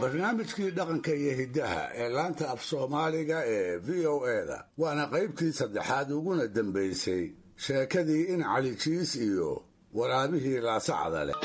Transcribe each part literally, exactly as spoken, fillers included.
Barnaamijkii dhaqanka iyo hiddaha ee laanta af soomaaliga ee V O E-da, waana qaybtii saddexaad uguna dambaysay sheekadii in Cali Jiis iyo waraabihii laasacada leh.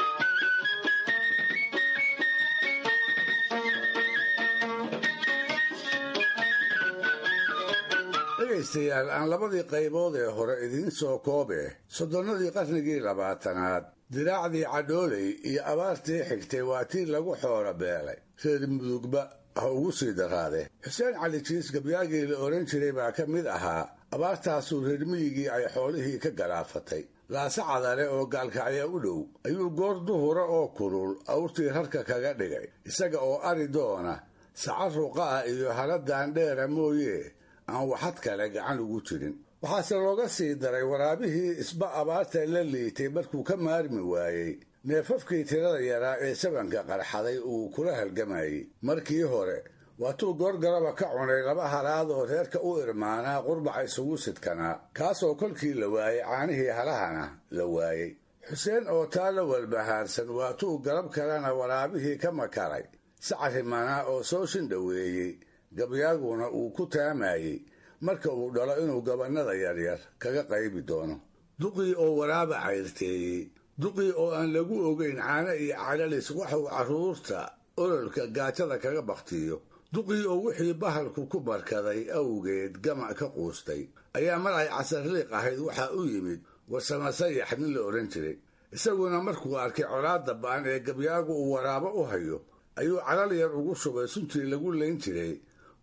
Dhegaystayaal, aan labadii qaybood ee hore idiin soo koobe. Soddonnadii qarnigii labaatanaad, diraacdii cadhooley iyo abaartii xigtay waa tii lagu xoora beelay, reer Mudugba ha ugu sii daraade. Xuseen Cali Jiis gabyaagii la odhan jiray baa ka mid ahaa abaartaasuu reer miyigii ay xoolihii ka galaafatay. Laasacadale oo gaalkacya u dhow ayuu goor duhura oo kulul awrtii rarka kaga dhigay, isaga oo ari doona saca ruqa ah iyo haladaan dheera mooye aan waxad kale gacan ugu jirin. Waxaase looga sii daray waraabihii isba abaarta la liitay markuu ka maarmi waayey neefafkii tirada yaraa ee sabanka qarxaday uu kula halgamayey. Markii hore waatuu goorgaraba ka cunay laba halaad oo reerka u irmaanaa qurbaca isugu sidkanaa, kaasoo kolkii la waayey caanihii halahana la waayey. Xuseen oo taa la walbahaarsan waatuu garab kalena waraabihii ka makaray sacarimanaa oo soo shindhoweeyey, gabyaaguna uu ku taamayey marka uu dhalo inuu gabannada yaryar kaga qaybi doono. Duqii oo waraaba cayrteeyey, duqii oo aan lagu ogeyn caano iyo calalis waxuu carruurta ololka gaajada kaga baktiyo, duqii oo wixii bahalku ku barkaday awgeed gama ka quustay ayaa mar ay casarliiq ahayd waxaa u yimid warsamasayax nin la odhan jiray. Isaguna markuu arkay colaadda ba'an ee gabyaagu uu waraabo u hayo ayuu calal yar ugu shubay suntii lagu layn jiray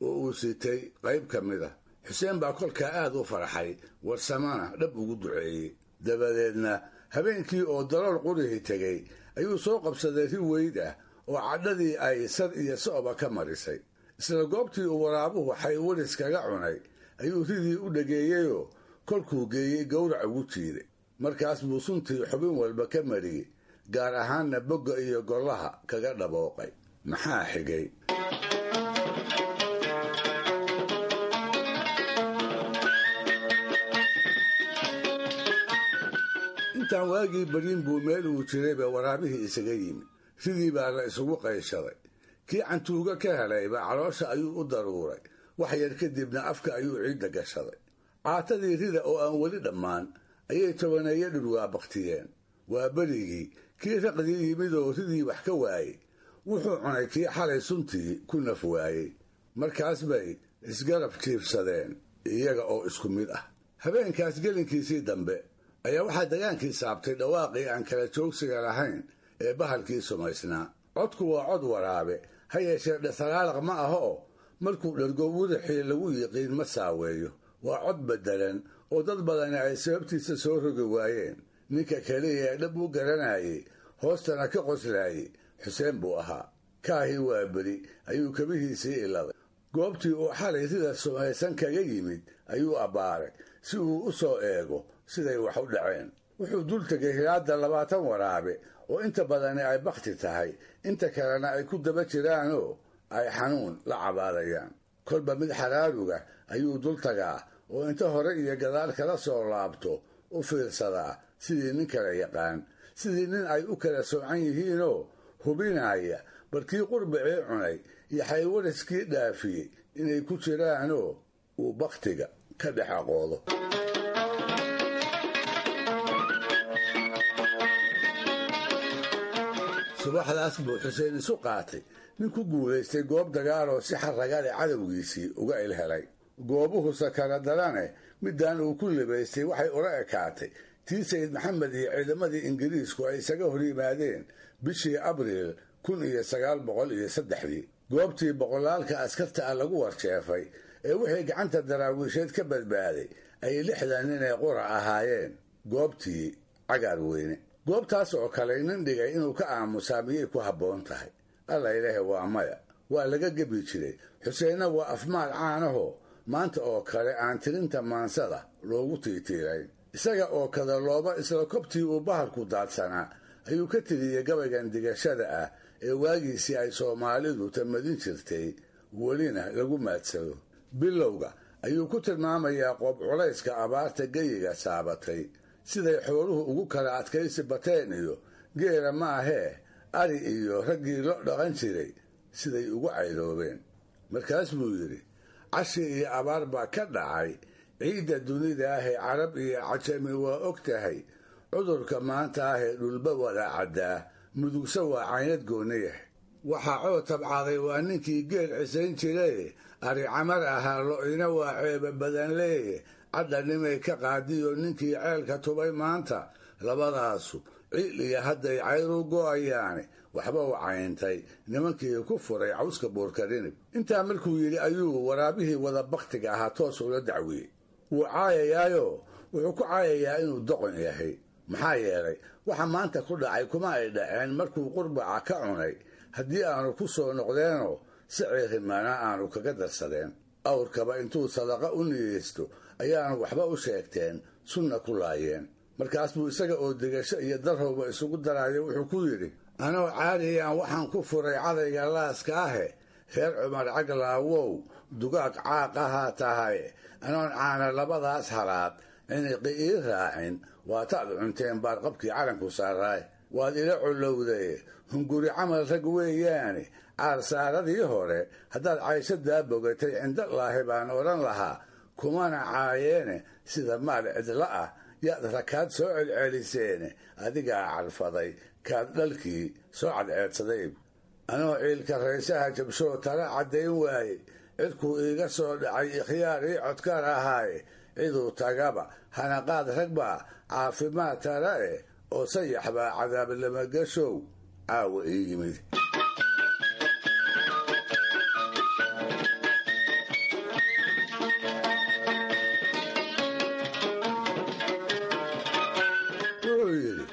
oo uu sitay qayb ka mid ah. Xuseen baa kolkaa aad u farxay, warsamana dhab ugu duceeyey. Dabadeedna habeenkii oo dalool qurihii tegey ayuu soo qabsaday ri weyd ah oo cadhadii ay sad iyo so'ba ka marisay. Isla goobtii uu waraabuhu xaywaris kaga cunay ayuu ridii u dhageeyeyoo kolkuu geeyey gowrac ugu jiiday. Markaas buu suntii xubin walba ka mariyey, gaar ahaanna bogga iyo gollaha kaga dhabooqay. Maxaa xigay? Intaan waagii baryin buu meel uu jirayba waraabihii isaga yimi. Ridii baa la isugu qayshaday. Kii cantuuga ka helayba caloosha ayuu u daruuray, wax yar kadibna afka ayuu ciidda gashaday. Caatadii rida oo aan weli dhammaan ayay tobaneeyo dhurwaa baktiyeen. Waa berigii kii raqdii yimid oo ridii wax ka waayey wuxuu cunay kii xalay suntii ku naf waayey. Markaas bay isgarab jiibsadeen iyaga oo isku mid ah. Habeenkaas gelinkiisii dambe ayaa waxaa dagaankii saabtay dhawaaqii aan kala joogsiga lahayn ee bahalkii sumaysnaa. Codku waa cod waraabe, ha yeeshee dhasalaaliq ma aha oo markuu dhergo wadaxii lagu yiqiin ma saaweeyo. Waa cod beddelan oo dad badani ay sababtiisa soo rogi waayeen. Ninka keliya ee dhab u garanayey hoostana ka qoslaayey Xuseen buu ahaa. Kaahii waa beri ayuu kabihiisii iladay. Goobtii uu xalay sida sumaysan kaga yimid ayuu abbaaray si uu u soo eego siday wax u dhaceen. Wuxuu dul tegay hilaadda labaatan waraabe oo inta badani ay bakhti tahay, inta kalena ay ku daba jiraanoo ay xanuun la cabaadayaan. Kolba mid xaraaruga ayuu dul tagaa oo inta hore iyo gadaal kala soo laabto u fiirsadaa sidii nin kala yaqaan, sidii nin ay u kala soocan yihiinoo hubinaya barkii qurbacii cunay iyo xaywariskii dhaafiyey inay ku jiraanoo uu bakhtiga ka dhex aqoodo. Subaxdaas buu Xuseen isu qaatay nin ku guulaystay goob dagaaloo si xarragale cadowgiisii uga ilhelay. Goobuhu sakara darane midaan uu ku libaystay waxay ula ekaatay tii Sayid Maxamed iyo ciidamadii Ingiriisku ay isaga hor yimaadeen bishii Abriil kun iyo sagaal boqol iyo saddexdii, goobtii boqolaalka askarta ah lagu warjeefay ee wixii gacanta daraawiisheed ka badbaaday ay lixdan nin ee qura ahaayeen, goobtii Cagaar Weyne. Goobtaas oo kale nin dhigay inuu ka aamusaa miyay ku habboon tahay? Alla ilaahe, waa maya, waa laga gebi jiray. Xuseenna waa afmaal caanahoo maanta oo kale aan tirinta maansada loogu tiitiirayn. Isaga oo kada looba isla kobtii uu bahalku daadsanaa ayuu ka tiriyey gabaygan digashada ah ee waagiisii ay Soomaalidu tamadin jirtay welina lagu maadsado. Bilowga ayuu ku tilmaamayaa qoob culayska abaarta geyiga saabatay, siday xooluhu ugu kala adkaysi bateen iyo geela ma ahee ari iyo raggii lo dhaqan jiray siday ugu cayroobeen. Markaas buu yidhi, cashi iyo abaar baa ka dhacay ciidda dunida ahee carab iyo cajami waa og tahay, cudurka maanta ahee dhulba wada caddaa, mudugsa waa caynad gooniyah. Waxaa coo tabcaday waa ninkii geel cisayn jiraye, ari camar ahaa lo'ina waa ceeba badan leeye, cadhanimay ka qaadiyo ninkii ceelka tubay maanta, labadaasu ciil iyo hadday cayru go'ayaane waxba u cayntay nimankii ku furay cawska buurkarinib. Intaa markuu yidhi ayuu waraabihii wada baktiga ahaa toos ula dacwiyey. Wuu caayayaayo wuxuu ku caayayaa inuu doqon yahay, maxaa yeelay waxa maanta ku dhacay kuma ay dhaceen markuu qurbaca ka cunay, haddii aanu ku soo noqdeenoo si ciirimana aanu kaga darsadeen. Awrkaba intuu sadaqa u niyeysto ayaanu waxba u sheegteen, sunna ku laayeen. Markaas buu isaga oo degasho iyo darrowba isugu daraayo wuxuu ku yidhi, anoo caadiyaan waxaan ku furay cadayga laaska ahe, reer Cumar Caglaawow dugaag caaq ahaa tahay, anoon caana labadaas halaad ciniqi ii raacin, waataad cunteen baarqabkii calanku saaraay. Waad ila collowday hunguri camal rag weeyaane, caarsaaradii hore haddaad cayshadaa bogatay cindalaahi baan odhan lahaa, kumana caayeene sida maal cidla ah yaad rakaad soo celceliseene, adigaa carfaday kaad dhalkii soo cadceedsaday. Anoo ciilka raysaha jabshoo tala caddayn waayey, cidkuu iiga soo dhacay ikhyaar ii codkaar ahaaye, ciduu tagaba hanaqaad rag baa caafimaad tala eh, oo sayax baa cadaab lamagashow caawa ii yimid. Wuxuu yidhi,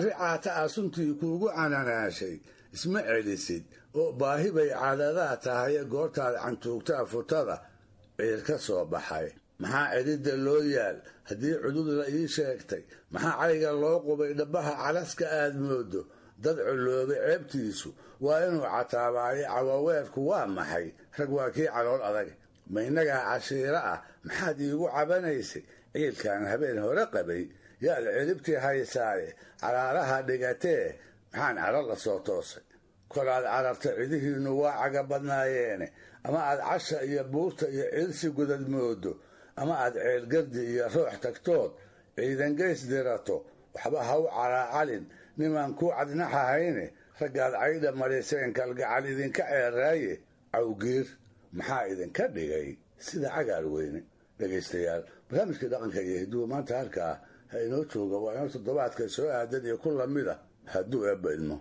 ricaata ah suntii kuugu cananaashay isma celisid oo baahi bay caadadaa tahaye, goortaad cantuugtaa futada ciir ka soo baxay. Maxaa celidda loo yaal haddii cudud la ii sheegtay? Maxaa cayga loo qubay dhabbaha calaska aad moodo? Dad culloobay ceebtiisu waa inuu cataabaayo, cawaweerku waa maxay? Rag waa kii calool adag. Ma innagaa cashiiro ah maxaad iigu cabanaysay? Ciilkaan habeen hore qabay yaad celibtii haysaaye, caraaraha dhigatee maxaan caro la soo toosay? Kolaad cararta cidihiinnu waa caga badnaayeene, ama aad casha iyo buurta iyo ciilsi gudad moodo, ama aad ceelgardi iyo roox tagtood ciidangeys dirato, waxba ha u caraacalin nimaan kuu cadnaxahayne, raggaad caydha mariseen kalgacal idinka ceeraaye, cawgiir maxaa idinka dhigay sida cagaar weyne? Dhegaystayaal, barnaamijkii dhaqanka iyo hidduhu maanta halkaa ha inoo jooga, waa inoo toddobaadka soo aadan iyo ku lamid a hadduu eebba idmo.